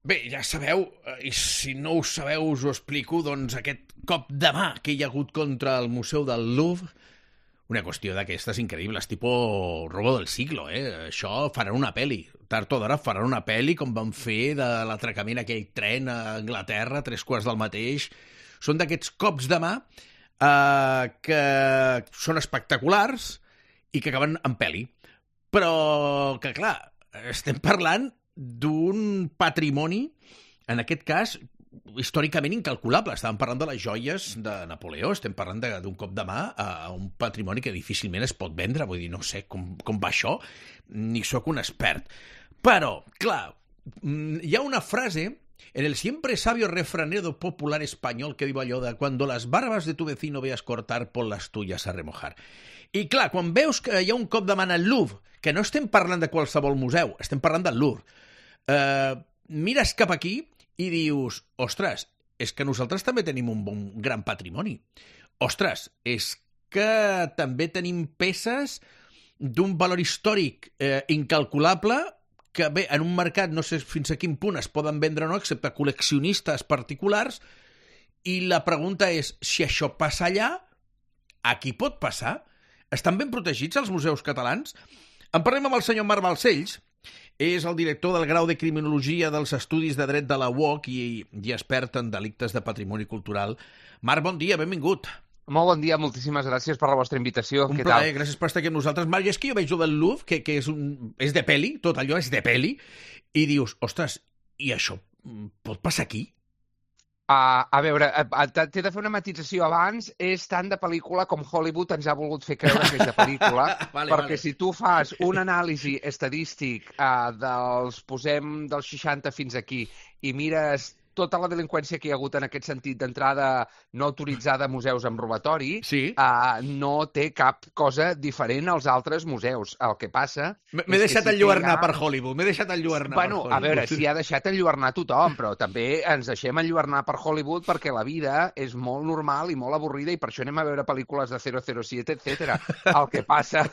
Bé, ja sabeu, i si no ho sabeu us ho explico, doncs aquest cop de mà que hi ha hagut contra el Museu del Louvre, una qüestió d'aquestes increïbles, tipus robo del siglo, Això faran una pel·li. Tard o d'hora faran una pel·li com van fer de l'atracament aquell tren a Anglaterra, 3 quarts del mateix. Són d'aquests cops de mà que són espectaculars i que acaben en pel·li. Però que, clar, estem parlant d'un patrimoni, en aquest cas, històricament incalculable. Estàvem parlant de les joies de Napoleó, estem parlant d'un cop de mà a un patrimoni que difícilment es pot vendre. Vull dir, no sé com va això, ni sóc un expert. Però, clar, hi ha una frase en el siempre sabio refranero popular español que diu allò de «Cuando las barbas de tu vecino veas cortar, pon las tuyas a remojar». I clar, quan veus que hi ha un cop de mà al Louvre, que no estem parlant de qualsevol museu, estem parlant del Louvre, mires cap aquí i dius, ostres, és que nosaltres també tenim un gran patrimoni. Ostres, és que també tenim peces d'un valor històric incalculable que, bé, en un mercat no sé fins a quin punt es poden vendre o no, excepte col·leccionistes particulars, i la pregunta és, si això passa allà, aquí pot passar? Estan ben protegits els museus catalans? En parlem amb el senyor Marc Balcells, és el director del grau de Criminologia dels Estudis de Dret de la UOC i expert en delictes de patrimoni cultural. Marc, bon dia, benvingut. Molt bon dia, moltíssimes gràcies per la vostra invitació. Un plaer, gràcies per estar aquí amb nosaltres. Marc, és que jo veig del Louvre, que és de pel·li, tot allò és de pel·li, i dius, ostres, i això pot passar aquí? A veure, t'he de fer una matització abans. És tant de pel·lícula com Hollywood ens ha volgut fer creure que és de pel·lícula, perquè si tu fas un anàlisi estadístic posem dels 60 fins aquí i mires tota la delinqüència que hi ha hagut en aquest sentit d'entrada no autoritzada a museus amb robatori, sí. No té cap cosa diferent als altres museus. El que passa... M'he deixat enlluernar per Hollywood, m'he deixat enlluernar per Hollywood. A veure, si ha deixat enlluernar tothom, però també ens deixem enlluernar per Hollywood perquè la vida és molt normal i molt avorrida i per això anem a veure pel·lícules de 007, etc. El que passa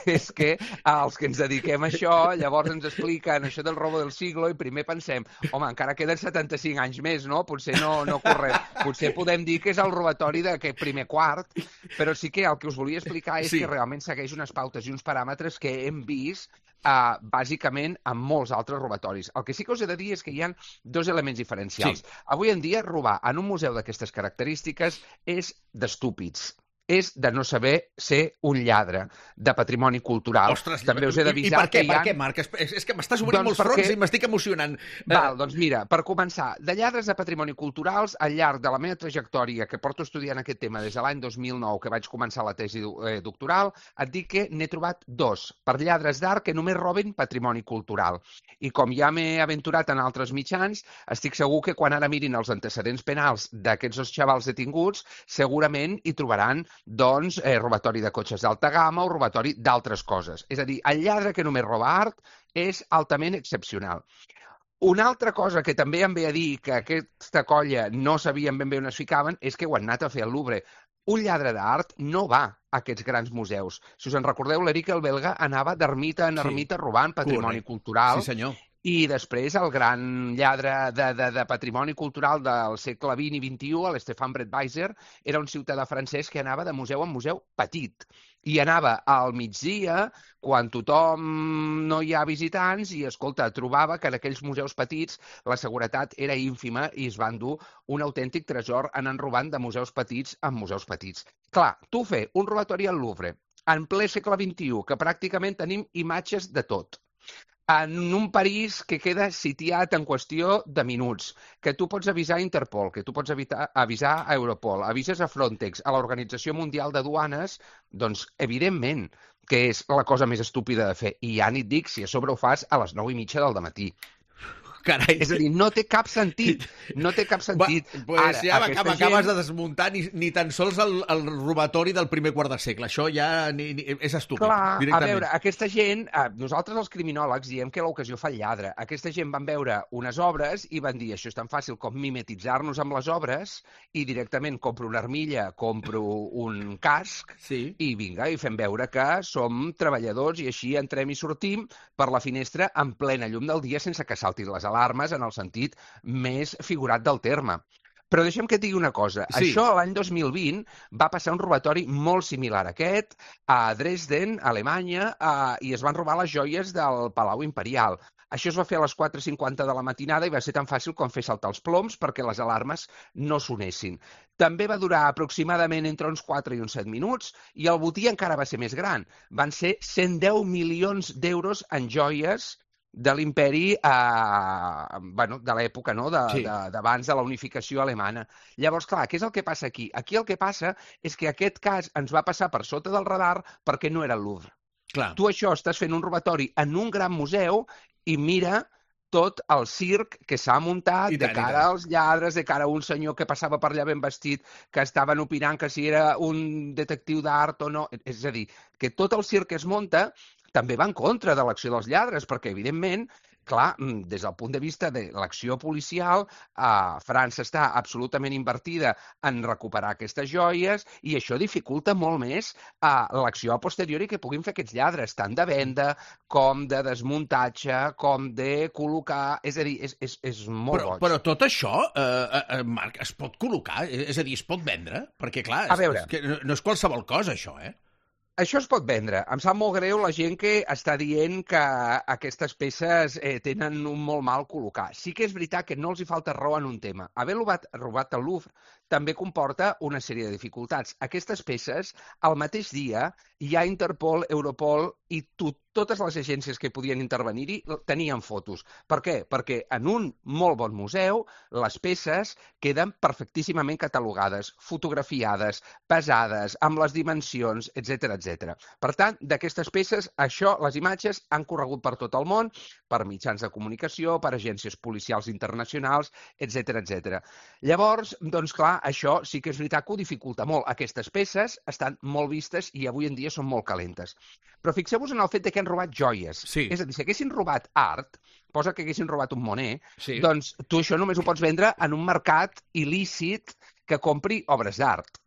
és que els que ens dediquem a això, llavors ens expliquen això del robo del siglo i primer pensem, home, encara queden 75 anys més, no? Potser no correm. Potser podem dir que és el robatori d'aquest primer quart, però sí que el que us volia explicar és que realment segueix unes pautes i uns paràmetres que hem vist bàsicament amb molts altres robatoris. El que sí que us he de dir és que hi ha dos elements diferencials. Sí. Avui en dia, robar en un museu d'aquestes característiques és d'estúpids. És de no saber ser un lladre de patrimoni cultural. Ostres, també us he d'avisar que hi ha... Per què, Marc? És que m'estàs obrint molts fronts i m'estic emocionant. Val, doncs mira, per començar, de lladres de patrimoni culturals, al llarg de la meva trajectòria, que porto estudiant aquest tema des de l'any 2009, que vaig començar la tesi doctoral, et dic que n'he trobat 2, per lladres d'art que només roben patrimoni cultural. I com ja m'he aventurat en altres mitjans, estic segur que quan ara mirin els antecedents penals d'aquests 2 xavals detinguts, segurament hi trobaran doncs robatori de cotxes d'alta gamma o robatori d'altres coses. És a dir, el lladre que només roba art és altament excepcional. Una altra cosa que també em ve a dir que aquesta colla no sabien ben bé on es ficaven és que ho han anat a fer al Louvre. Un lladre d'art no va a aquests grans museus. Si us en recordeu, l'Eric el belga anava d'ermita en ermita robant patrimoni cultural. Sí, senyor. I després el gran lladre de patrimoni cultural del segle XX i XXI, l'Stéphane Breitweiser, era un ciutadà francès que anava de museu en museu petit. I anava al migdia, quan tothom no hi ha visitants, i, escolta, trobava que en aquells museus petits la seguretat era ínfima i es van dur un autèntic tresor anant robant de museus petits en museus petits. Clar, tu fer un robatori al Louvre en ple segle XXI, que pràcticament tenim imatges de tot, en un París que queda sitiat en qüestió de minuts, que tu pots avisar a Interpol, que tu pots avisar a Europol, avises a Frontex, a l'Organització Mundial de Duanes, doncs, evidentment, que és la cosa més estúpida de fer. I ja ni et dic si a sobre ho fas a les 9:30 del matí. Carai. És a dir, no té cap sentit. No té cap sentit. Pues ara, ja m'acabes de desmuntar ni tan sols el robatori del primer quart de segle. Això ja és estúpid. Clar, a veure, aquesta gent, nosaltres els criminòlegs diem que l'ocasió fa el lladre. Aquesta gent van veure unes obres i van dir, això és tan fàcil com mimetitzar-nos amb les obres i directament compro una armilla, compro un casc i vinga, i fem veure que som treballadors i així entrem i sortim per la finestra en plena llum del dia sense que saltin les alarmes en el sentit més figurat del terme. Però deixa'm que et digui una cosa. Sí. Això l'any 2020 va passar un robatori molt similar a aquest a Dresden, Alemanya, i es van robar les joies del Palau Imperial. Això es va fer a les 4:50 de la matinada i va ser tan fàcil com fer saltar els ploms perquè les alarmes no sonessin. També va durar aproximadament entre uns 4 i uns 7 minuts i el botí encara va ser més gran. Van ser 110 milions d'euros en joies de l'imperi, de l'època, no? d'abans de la unificació alemana. Llavors, clar, què és el que passa aquí? Aquí el que passa és que aquest cas ens va passar per sota del radar perquè no era el Louvre. Clar. Tu això estàs fent un robatori en un gran museu i mira tot el circ que s'ha muntat de cara als lladres, de cara a un senyor que passava per allà ben vestit, que estaven opinant que si era un detectiu d'art o no. És a dir, que tot el circ que es munta també va en contra de l'acció dels lladres, perquè, evidentment, clar, des del punt de vista de l'acció policial, França està absolutament invertida en recuperar aquestes joies i això dificulta molt més l'acció a posteriori que puguin fer aquests lladres, tant de venda com de desmuntatge, com de col·locar... És a dir, és molt boig. Però tot això, Marc, es pot col·locar? És a dir, es pot vendre? Perquè, clar, no és qualsevol cosa, això, eh? Això es pot vendre. Em sap molt greu la gent que està dient que aquestes peces tenen un molt mal col·locar. Sí que és veritat que no els hi falta raó en un tema. Haver robat el Louvre també comporta una sèrie de dificultats. Aquestes peces, al mateix dia, hi ha Interpol, Europol i totes les agències que podien intervenir-hi tenien fotos. Per què? Perquè en un molt bon museu les peces queden perfectíssimament catalogades, fotografiades, pesades, amb les dimensions, etc etc. Per tant, d'aquestes peces, les imatges han corregut per tot el món, per mitjans de comunicació, per agències policials internacionals, etc etc. Llavors, doncs clar, això sí que és veritat que ho dificulta molt. Aquestes peces estan molt vistes i avui en dia són molt calentes. Però fixeu-vos en el fet de que han robat joies. Sí. És a dir, si haguessin robat art, posa que haguessin robat un Monet, sí. Doncs tu això només ho pots vendre en un mercat il·lícit que compri obres d'art.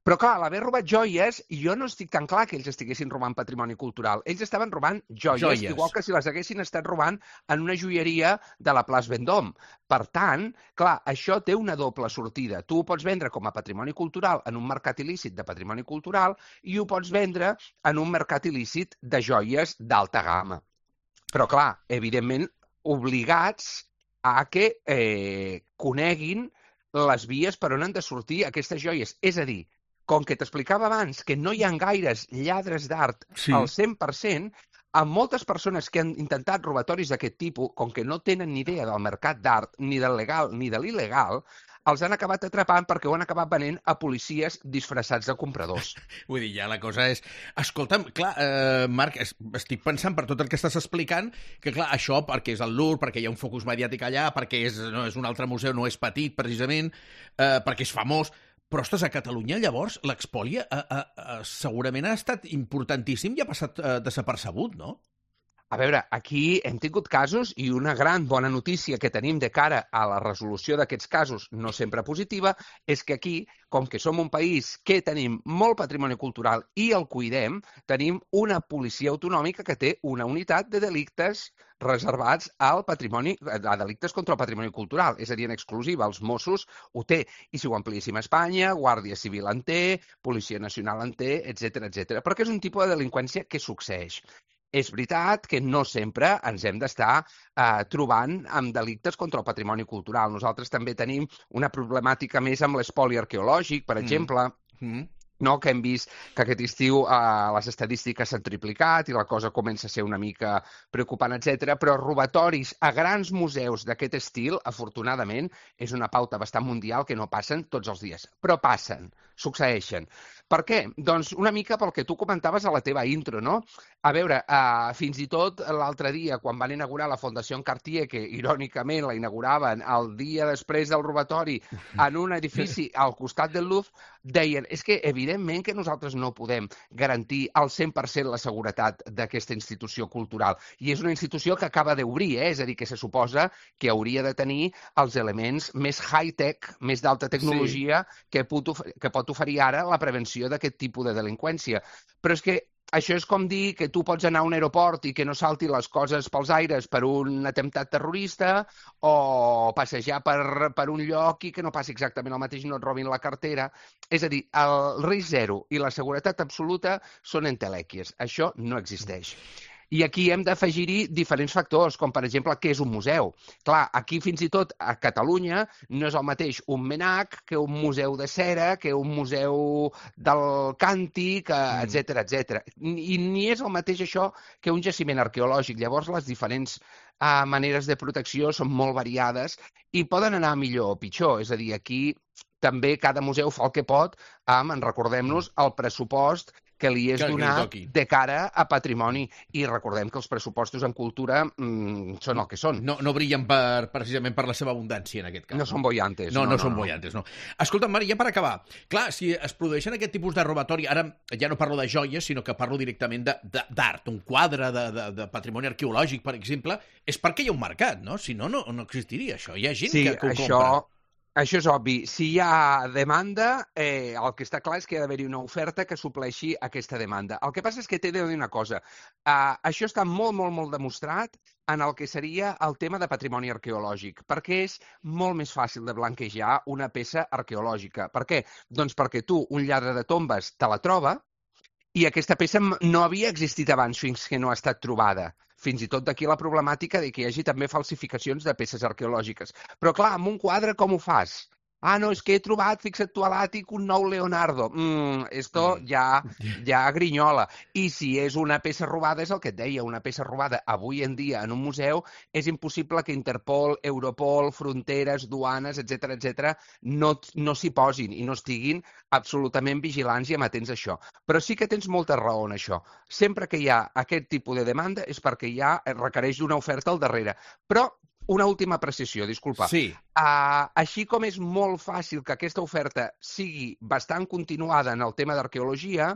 Però, clar, a l'haver robat joies, jo no estic tan clar que ells estiguessin robant patrimoni cultural. Ells estaven robant joies, igual que si les haguessin estat robant en una joieria de la Place Vendôme. Per tant, clar, això té una doble sortida. Tu ho pots vendre com a patrimoni cultural en un mercat il·lícit de patrimoni cultural i ho pots vendre en un mercat il·lícit de joies d'alta gamma. Però, clar, evidentment, obligats a que coneguin les vies per on han de sortir aquestes joies. És a dir, com que t'explicava abans que no hi ha gaires lladres d'art al 100%, amb moltes persones que han intentat robatoris d'aquest tipus, com que no tenen ni idea del mercat d'art, ni del legal ni de l'il·legal, els han acabat atrapant perquè ho han acabat venent a policies disfressats de compradors. Vull dir, ja la cosa és... Escolta'm, clar, Marc, estic pensant per tot el que estàs explicant, que clar, això perquè és el Louvre, perquè hi ha un focus mediàtic allà, perquè és un altre museu, no és petit, precisament, perquè és famós... Però, ostres, a Catalunya, llavors, l'expòlia segurament ha estat importantíssim i ha passat desapercebut, no? A veure, aquí hem tingut casos i una gran bona notícia que tenim de cara a la resolució d'aquests casos, no sempre positiva, és que aquí, com que som un país que tenim molt patrimoni cultural i el cuidem, tenim una policia autonòmica que té una unitat de delictes reservats al patrimoni, a delictes contra el patrimoni cultural, és a dir, en exclusiva, els Mossos ho té. I si ho ampliéssim a Espanya, Guàrdia Civil en té, Policia Nacional en té, etc etc. Perquè és un tipus de delinqüència que succeeix. És veritat que no sempre ens hem d'estar trobant amb delictes contra el patrimoni cultural. Nosaltres també tenim una problemàtica més amb l'espoli arqueològic, per exemple, no? Que hem vist que aquest estiu les estadístiques s'han triplicat i la cosa comença a ser una mica preocupant, etc. Però robatoris a grans museus d'aquest estil, afortunadament, és una pauta bastant mundial que no passen tots els dies. Però passen, succeeixen. Per què? Doncs una mica pel que tu comentaves a la teva intro, no? A veure, fins i tot l'altre dia, quan van inaugurar la Fundació Cartier, que irònicament la inauguraven el dia després del robatori en un edifici al costat del Louvre, deien, és que evidentment que nosaltres no podem garantir al 100% la seguretat d'aquesta institució cultural. I és una institució que acaba d'obrir, és a dir, que se suposa que hauria de tenir els elements més high-tech, més d'alta tecnologia que pot oferir ara la prevenció d'aquest tipus de delinqüència. Però és que això és com dir que tu pots anar a un aeroport i que no salti les coses pels aires per un atemptat terrorista o passejar per un lloc i que no passi exactament el mateix i no et robin la cartera. És a dir, el risc zero i la seguretat absoluta són entelèquies. Això no existeix. I aquí hem d'afegir-hi diferents factors, com per exemple què és un museu. Clar, aquí fins i tot a Catalunya no és el mateix un MNAC que un museu de cera, que un museu del càntic, etc etc. I ni és el mateix això que un jaciment arqueològic. Llavors, les diferents maneres de protecció són molt variades i poden anar millor o pitjor. És a dir, aquí també cada museu fa el que pot amb, recordem-nos, el pressupost que li és donat de cara a patrimoni. I recordem que els pressupostos en cultura són el que són. No brillen precisament per la seva abundància, en aquest cas. No són bollantes. No són bollantes, no. Escolta'm, Mari, ja per acabar. Clar, si es produeixen aquest tipus de robatori, ara ja no parlo de joies, sinó que parlo directament d'art, un quadre de patrimoni arqueològic, per exemple, és perquè hi ha un mercat, no? Si no, no existiria això. Hi ha gent que ho compra. Això és obvi. Si hi ha demanda, el que està clar és que hi ha d'haver-hi una oferta que supleixi aquesta demanda. El que passa és que t'he de dir una cosa. Això està molt, molt, molt demostrat en el que seria el tema de patrimoni arqueològic, perquè és molt més fàcil de blanquejar una peça arqueològica. Per què? Doncs perquè tu, un lladre de tombes, te la troba i aquesta peça no havia existit abans fins que no ha estat trobada. Fins i tot d'aquí la problemàtica de que hi hagi també falsificacions de peces arqueològiques. Però clar, amb un quadre com ho fas? No, és que he trobat, fixa't tu a l'àtic, un nou Leonardo. Esto ja grinyola. I si és una peça robada, és el que et deia, una peça robada avui en dia en un museu, és impossible que Interpol, Europol, fronteres, duanes, etc no s'hi posin i no estiguin absolutament vigilants i amatents a això. Però sí que tens molta raó en això. Sempre que hi ha aquest tipus de demanda és perquè requereix d'una oferta al darrere. Però una última precisió, disculpa. Sí. Així com és molt fàcil que aquesta oferta sigui bastant continuada en el tema d'arqueologia,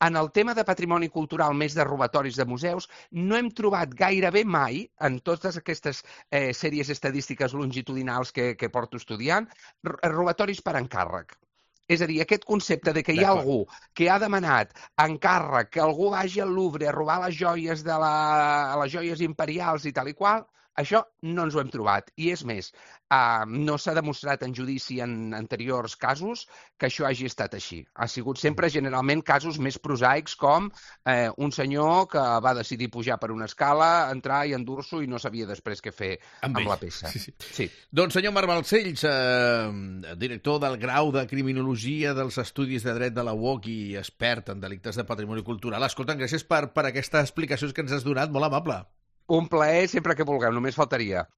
en el tema de patrimoni cultural més de robatoris de museus, no hem trobat gairebé mai, en totes aquestes sèries estadístiques longitudinals que porto estudiant, robatoris per encàrrec. És a dir, aquest concepte de que hi ha algú que ha demanat encàrrec que algú vagi al Louvre a robar les joies les joies imperials i tal i qual, això no ens ho hem trobat. I és més, no s'ha demostrat en judici en anteriors casos que això hagi estat així. Ha sigut sempre generalment casos més prosaics com un senyor que va decidir pujar per una escala, entrar i endur-s'ho i no sabia després què fer amb la peça. Sí. Doncs senyor Marc Balcells, director del grau de Criminologia dels Estudis de Dret de la UOC i expert en delictes de patrimoni cultural. Escolta, gràcies per aquestes explicacions que ens has donat, molt amable. Un plaer sempre que vulgueu, només faltaria.